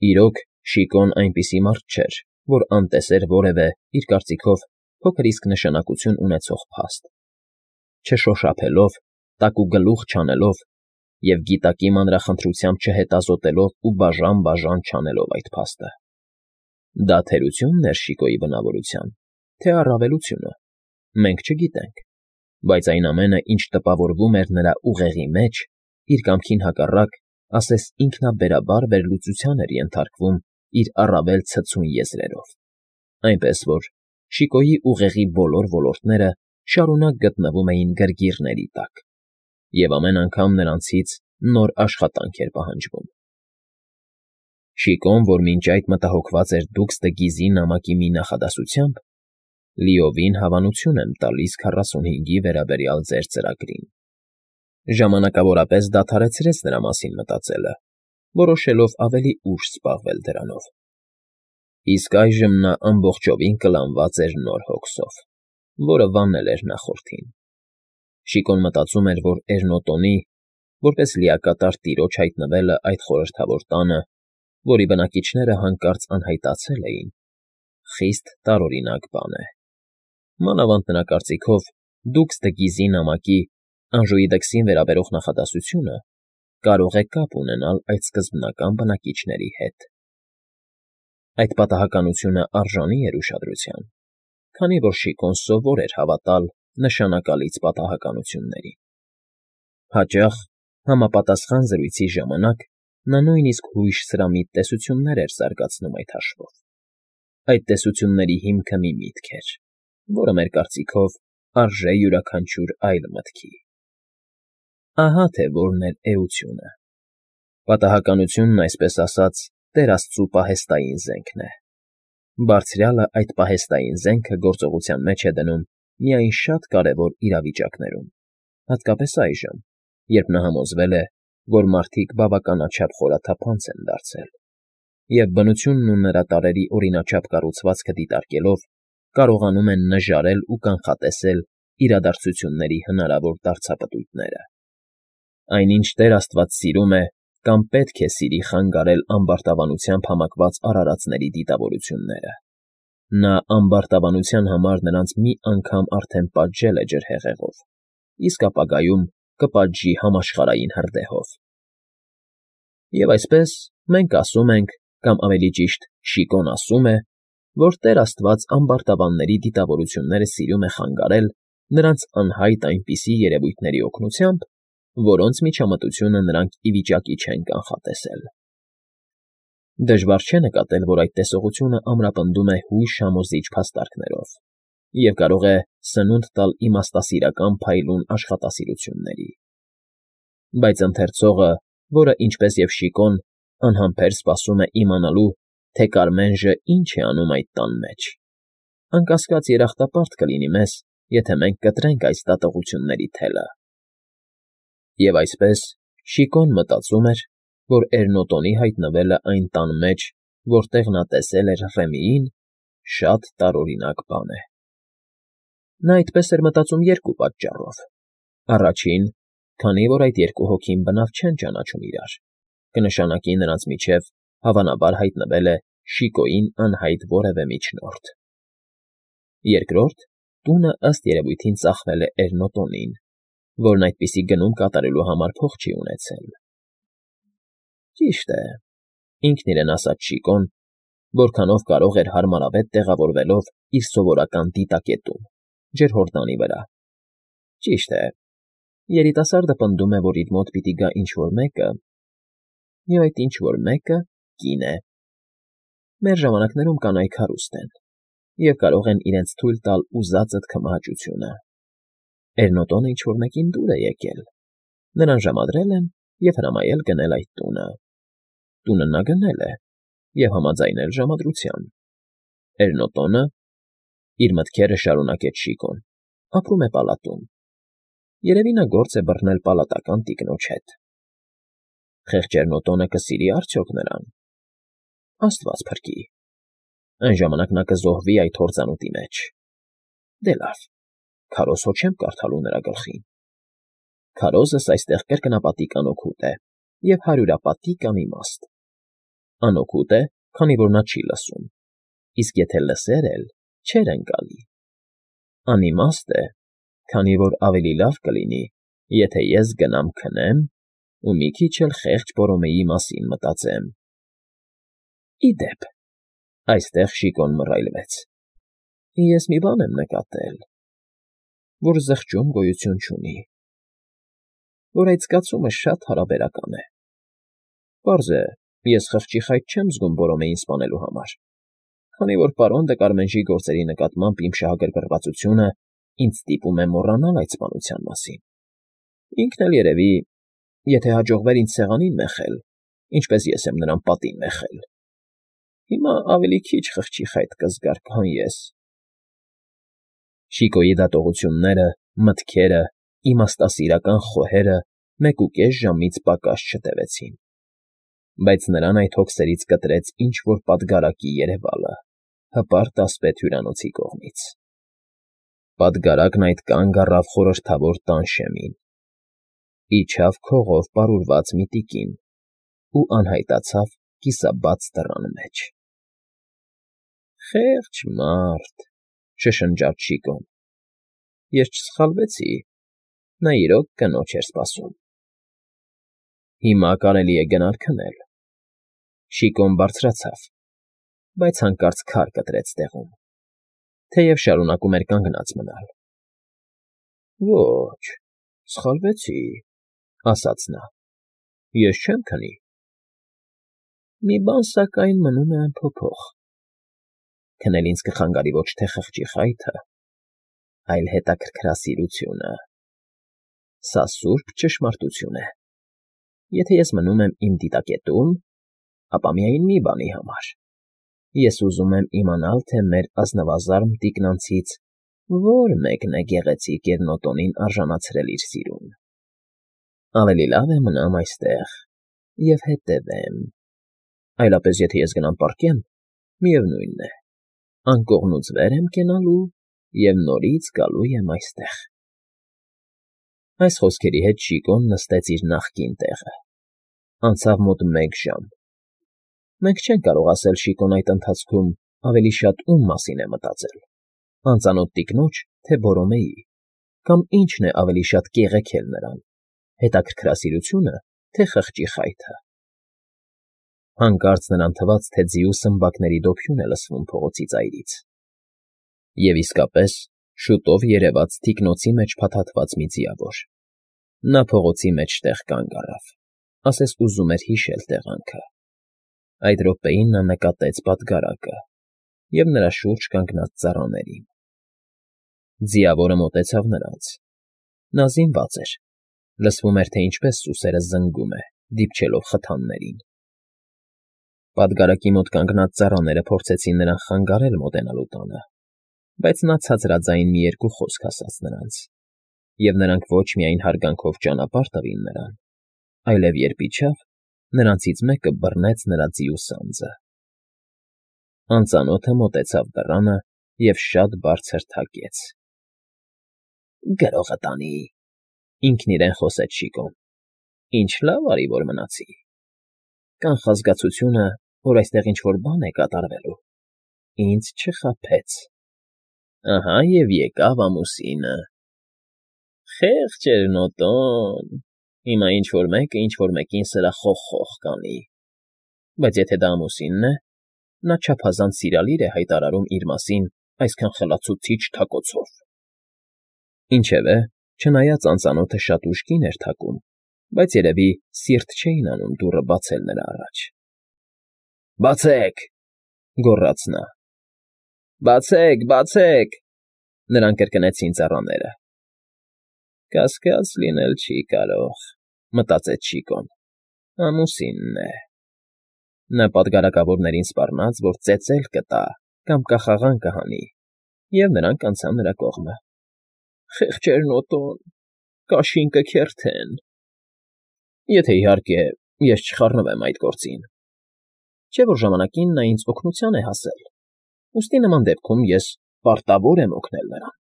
Իրոք, Շիկոն այնպիսի մարդ չէր, որ անտեսեր որևէ, իր կարծիքով, փոքր իսկ նշանակություն ունեցող փաստ, չշոշափելով, տակուգլուխ չանելով և գիտակի մանրախնդրությամբ չհետազոտելով ու բաժան չանելով այդ փաստը։ Դա թերությո՞ւնն էր Շիկոյի բնավորության, թե առավելությունը, մենք չգիտենք, բայց այն ամենը, ինչ տպավորվում էր նրա ուղեղի մեջ, իր կամքին հակառակ, ասես ինքնաբերաբար վերլուծության էր ենթարկվում իր առավել ցցուն եզրերով, այնպես որ Շիկոյի ուղեղի բոլոր ոլորտները շարունակ գտնվում էին գրգիռների տակ, և ամեն անգամ նրանցից նոր աշխատանք էր պահանջվում։ Շիկոն, որ մինչ այդ մտահոգված էր դուքստը Գիզի նամակի մի նախադասությամբ, լիովին հավանություն եմ տալիս 45-ի վերաբերյալ ձեր ծրագրին, ժամանակավորապես դադարեցրեց նրա մասին մտածելը, որոշելով ավելի ուշ զբաղվել դրանով։ Իսկ այժմ նա ամբողջովին կլանված էր նոր հոգսով, որը վանել էր նախորդին։ Շիկոն մտածում էր, որ Էրնոտոնի, որպես լիակատար տիրոջ հայտնվելը այդ խորհրդավոր տանը, որի բնակիչները հանկարծ անհայտացել էին, խիստ տարօրինակ բան է։ Մանավանդ նրա կարծիքով դուքստը Գիզի նամակի Անժուիդեքսին վերաբերող նախադասությունը կարող է կապ ունենալ այդ սկզբնական բնակիչների հետ։ Այդ պատահականությունը արժանի էր ուշադրության, քանի որ Շիկոն սովոր էր հավատալ նշանակալից պատահականություններին։ Հաճախ, համապատասխան զրույցի ժամանակ նա նույնիսկ հույժ֊սրամիտ տեսություններ էր զարգացնում այդ հաշվով։ Այդ տեսությունների հիմքը մի միտք էր, որը մեր կարծիքով արժե յուրաքանչյուր այլ մտքի։ Ահա թե որն էր էությունը։ Պատահականությունն, այսպես ասած, Տեր Աստծու պահեստային զենքն է։ Բարձրյալը այդ պահեստային զենքը գործողության մեջ է դնում միայն շատ կարևոր իրավիճակներում, հատկապես այժմ, երբ նա համոզվել է, որ մարդիկ բավականաչափ խորաթափանց են դարձել, և բնությունն ու նրա տարրերի օրինաչափ կառուցվածքը դիտարկելով կարողանում են նժարել ու կանխատեսել իրադարձությունների հնարավոր դարձապտույտները։ Այնինչ Տեր Աստված սիրում է կամ պետք է սիրի խանգարել ամբարտավանությամբ համակված արարածների դիտավորությունները։ Նա ամբարտավանության համար նրանց մի անգամ արդեն պատժել է ջրհեղեղով, իսկ ապագայում կպատժի համաշխարհային հրդեհով։ Եվ այսպես, մենք ասում ենք, կամ ավելի ճիշտ, Շիկոն ասում է, որ Տեր Աստված ամբարտավանների դիտավորությունները սիրում է խանգարել նրանց անհայտ այնպիսի երևույթների օգնությամբ, որոնց միջամտությունը նրանք ի վիճակի չեն կանխատեսել։ Դժվար չէ նկատել, որ այդ տեսողությունը ամրապնդում է հույժ համոզիչ փաստարկներով և կարող է սնունդ տալ իմաստասիրական փայլուն աշխատասիրությունների։ Բայց ընթերցողը, որը, ինչպես և Շիկոն, անհամբեր սպասում է իմանալու, թե Կարմենժը ինչ է անում այդ տան մեջ, անկասկած երախտապարտ կլինի մեզ, եթե մենք կտրենք այս դատողությունների թելը։ Եվ այսպես, Շիկոն մտածում էր, որ Էրնոտոնի հայտնվելը այն տան մեջ, որտեղ նա տեսել էր Ռեմիին, շատ տարօրինակ բան է։ Նա այդպես էր մտածում երկու պատճառով. առաջին, քանի որ այդ երկու հոգին բնավ չեն ճանաչում իրար, կնշանակի նրանց միջև հավանաբար հայտնվել է Շիկոյին անհայտ որևէ միջնորդ։ Երկրորդ, տունը ըստ երևույթին ծախվել է Էրնոտոնին, որն այդպիսի գնում կատարելու համար փող չի ունեցել։ Ճիշտ է, ինքն իրեն ասաց Շիկոն, որքանով կարող էր հարմարավետ տեղավորվելով իր սովորական դիտակետում, ջրհորդանի վրա։ Ճիշտ է, երիտասարդը պնդում է, որ իր մոտ պիտի գա ինչ֊որ մեկը, և այդ ինչ֊որ մեկը կին է։ Մեր ժամանակներում կանայք հարուստ են և կարող են իրենց թույլ տալ ուզածդ քմահաճությունը։ Էրնոտոնը ինչ֊որ մեկին դուր է եկել, նրան ժամադրել են և հրամայել գնել այդ տունը։ Տունը նա գնել է և համաձայնել ժամադրության։ Էրնոտոնը, իր մտքերը շարունակեց Շիկոն, ապրում է պալատում։ Երևի նա գործ է բռնել պալատական տիկնոջ հետ։ Խեղճ Էրնոտոնը կսիրի արդյոք նրան։ Աստված փրկի։ Այն ժամանակ նա կզոհվի այդ հորձանուտի մեջ։ Դե լավ, քարոզ հո չեմ կարդալու նրա գլխին։ Քարոզս այստեղ կրկնապատիկ անօգուտ է և հարյուրապատիկ անիմաստ։ Անօգուտ է, քանի որ նա չի լսում, իսկ եթե լսեր էլ, չէր ընկալի։ Անիմաստ է, քանի որ ավելի լավ կլինի, եթե ես գնամ քնեմ ու մի քիչ էլ խեղճ Բորոմեի մասին մտածեմ։ Ի դեպ, այստեղ Շիկոն մռայլվեց։ Ես մի բան եմ նկատել, որ զղջում գոյություն չունի, որ այդ զգացումը շատ հարաբերական է։ Պարզ է, ես խղճի խայտ չեմ զգում Բորոմեին սպանելու համար, քանի որ պարոն Դեկարմենժի գործերի նկատմամբ իմ շահագրգռվածությունը ինձ ստիպում է մոռանալ այդ սպանության մասին։ Ինքն էլ երևի, եթե հաջողվեր ինձ սեղանին մեխել, ինչպես ես եմ նրան պատին մեխել, հիմա ավելի քիչ խղճի խայտ կզգար, քան ես։ Շիկոյի դատողությունները, մտքերը, իմաստասիրական խոհերը 1.5 ժամից պակաս չտևեցին, բայց նրան այդ հոգսերից կտրեց ինչ֊որ պատգարակի երևալը, հպարտ ասպետ հյուրանոցի կողմից։ Պատգարակն այդ կանգ առավ խորհրդավոր տանշեմին, իջավ քողով պարուրված մի տիկին ու անհայտացավ կիսաբաց դռան մեջ։ Խեղճ մարդ, շշնջաց Շիկոն։ Ես չսխալվեցի, նա իրոք կնոջ էր սպասում։ Հիմա կարելի է գնալ քնել։ Շիկոն բարձրացավ, բայց հանկարծ քար կտրեց տեղում, թեև շարունակում էր կանգնած մնալ։ Ոչ, սխալվեցի, ասաց նա, ես չեմ քնի։ Մի բան, սակայն, մնում է անփոփոխ. քնել ինձ կխանգարի ոչ թե խղճի խայթը, այլ հետաքրքրասիրությունը։ Սա սուրբ ճշմարտություն է։ Եթե ես մնում եմ իմ դիտակետում, ապա միայն մի բանի համար. ես ուզում եմ իմանալ, թե մեր ազնվազարմ տիկնանցից որ մեկն է գեղեցիկ և նոտոնին արժանացրել իր սիրուն։ Ավելի լավ է մնամ այստեղ և հետևեմ, այլապես եթե ես գնամ պառկեմ, միևնույն է, անկողնուց վեր եմ կենալու և նորից գալու եմ այստեղ։ Այս խոսքերի հետ Շիկոն նստեց իր նախկին տեղը։ Անցավ մոտ 1 ժամ։ Մենք չենք կարող ասել Շիկոն այդ ընթացքում ավելի շատ ում մասին է մտածել. անծանոթ տիկնոջ, թե Բորոմեի, կամ ինչն է ավելի շատ կեղեքել նրան, հետաքրքրասիրությունը, թե խղճի խայթը։ Հանկարծ նրան թվաց, թե ձիու սմբակների դոփյուն է լսվում փողոցի ծայրից։ Եվ իսկապես, շուտով երևաց թիկնոցի մեջ փաթաթված մի ձիավոր։ Նա փողոցի մեջտեղ կանգ առավ, ասես ուզում էր հիշել տեղանքը։ Այդ րոպեին նա նկատեց պատգարակը և նրա շուրջ կանգնած ծառաներին։ Ձիավորը մոտեցավ նրանց։ Նա զինված էր, լսվում էր, թե ինչպես սուսերը զնգում է, դիպչելով խթաններին։ Պատգարակի մոտ կանգնած ծառաները փորձեցին նրան խանգարել մոտենալու տանը, բայց նա ցածրաձայն մի երկու խոսք ասաց նրանց, և նրանք ոչ միայն հարգանքով ճանապարհ տվին նրան, այլև երբ իջավ, նրանցից մեկը բռնեց նրա ձիու սանձը։ Անծանոթը մոտեցավ դռանը և շատ բարձր թակեց։ Գրողը տանի, ինքն իրեն խոսեց Շիկոն։ Ինչ լավ արի, որ մնացի։ Կանխազգացությունը, որ այստեղ ինչ֊որ բան է կատարվելու, ինձ չխաբեց։ Ահա և եկավ ամուսինը։ Խեղճ էր Նոտոն, հիմա ինչ֊որ մեկը ինչ֊որ մեկին սրա խոխ կանի, բայց եթե դա ամուսինն է, նա չափազանց սիրալիր է հայտարարում իր մասին այսքան խլացուցիչ թակոցով։ Ինչևէ, չնայած անծանոթը շատ ուշ կին էր թակում, բայց երևի սիրտ չէին անում դուռը բացել նրա առաջ։ Բացեք,֊ գոռաց նա։ Բացեք, բացեք,֊ նրան կրկնեցին ծառաները։ Կասկած լինել չի կարող, մտածեց Շիկոն, ամուսինն է։ Նա պատգարակավորներին սպառնաց, որ ծեծել կտա կամ կախաղան կհանի, և նրանք անցան նրա կողմը։ Խեղճեր Նոտոն, կաշին կքերթեն։ Եթե, իհարկե, ես չխառնվեմ այդ գործին։ Չէ՞ որ ժամանակին նա ինձ օգնության է հասել, ուստի նման դեպքում ես պարտավոր եմ օգնել նրան։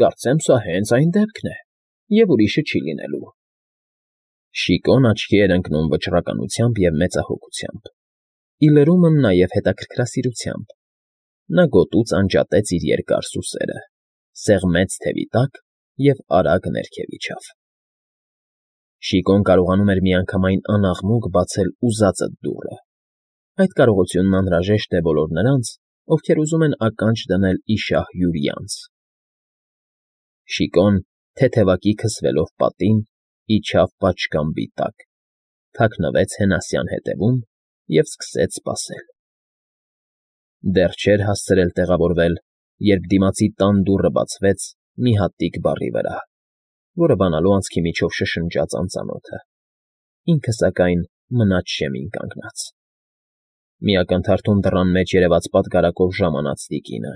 Կարծեմ, սա հենց այն դեպքն է, և ուրիշը չի լինելու։ Շիկոն աչքի էր ընկնում վճռականությամբ և մեծահոգությամբ։ Ի լրումն նաև հետաքրքրասիրությամբ։ Նա գոտուց անջատեց իր երկար սուսերը, սեղմեց թևի տակ և արագ ներքև իջավ։ Շիկոն կարողանում էր միանգամայն անաղմուկ բացել ուզածդ դուռը։ Այդ կարողությունն անհրաժեշտ է բոլոր նրանց, ովքեր ուզում են ականջ դնել ի շահ յուրի անձ։ Շիկոն, թեթևակի քսվելով պատին, իջավ պատշգամբի տակ, թաքնվեց Հենասյան հետևում և սկսեց սպասել։ Դեռ չէր հասցրել տեղավորվել, երբ դիմացի տան դուռը բացվեց մի հատիկ բառի վրա, որը բանալու անցքի միջով շշնջաց անծանոթը, ինքը, սակայն, մնաց շեմին կանգնած։ Մի ակնթարթում դռան մեջ երևաց պատգարակով ժամանած տիկինը։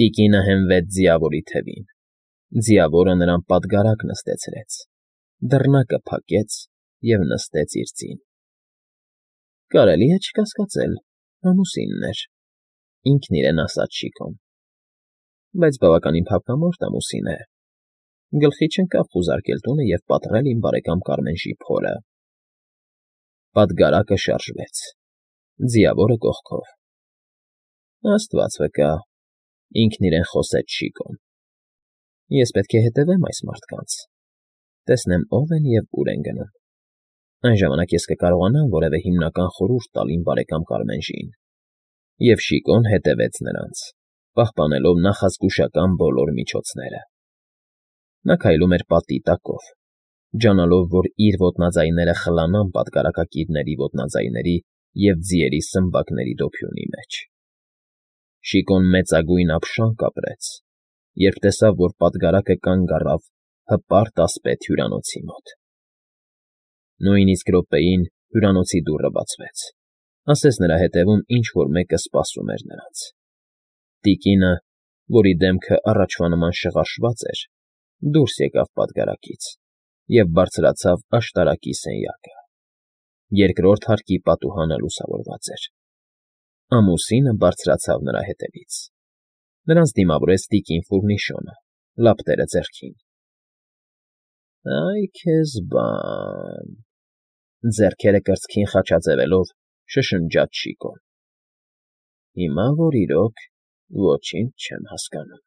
Տիկինը հենվեց ձիավորի թևին, ձիավորը նրան պատգարակ նստեցրեց, դռնակը փակեց և նստեց իր ձին։ «Կարելի է չկասկածել, ամուսինն էր,֊ ինքն իրեն ասաց Շիկոն,֊ բայց բավականին փափկամորթ ամուսին է, գլխի չընկավ խուզարկել տունը և պատռել իմ բարեկամ Կարմենժի փորը»։ Պատգարակը շարժվեց, ձիավորը կողքով։ «Աստված վկա,֊ ինքն իրեն խոսեց Շիկոն,֊ ես պետք է հետևեմ այս մարդկանց, տեսնեմ ով են և ուր են գնում։ Այն ժամանակ ես կկարողանամ որևէ հիմնական խորհուրդ տալ իմ բարեկամ Կարմենժին»։ Եվ Շիկոն հետևեց նրանց, պահպանելով նախազգուշական բոլոր միջոցները։ Նա քայլում էր պատի տակով, ջանալով, որ իր ոտնաձայները խլանան պատգարակակիրների ոտնաձայների և ձիերի սմբակների դոփյունի մեջ։ Շիկոն մեծագույն ափշանք ապրեց, երբ տեսավ, որ պատգարակը կանգ առավ հպարտ ասպետ հյուրանոցի մոտ։ Նույն իսկ րոպեին հյուրանոցի դուռը բացվեց, ասես նրա հետևում ինչ֊որ մեկը սպասում էր նրանց։ Տիկինը, որի դեմքը առաջվա նման շղարշված էր, դուրս եկավ պատգարակից և բարձրացավ աշտարակի սենյակը։ Երկրորդ հարկի պատուհանը լուսավորված էր։ Ամուսինը բարձրացավ նրա հետևից։ Նրանց դիմավորեց տիկին Ֆուռնիշոնը, լապտերը ձեռքին։ «Այ քեզ բան,֊ ձեռքերը կրծքին խաչաձևելով՝ շշնջաց Շիկոն։֊ Հիմա որ իրոք ոչինչ չեմ հասկանում»։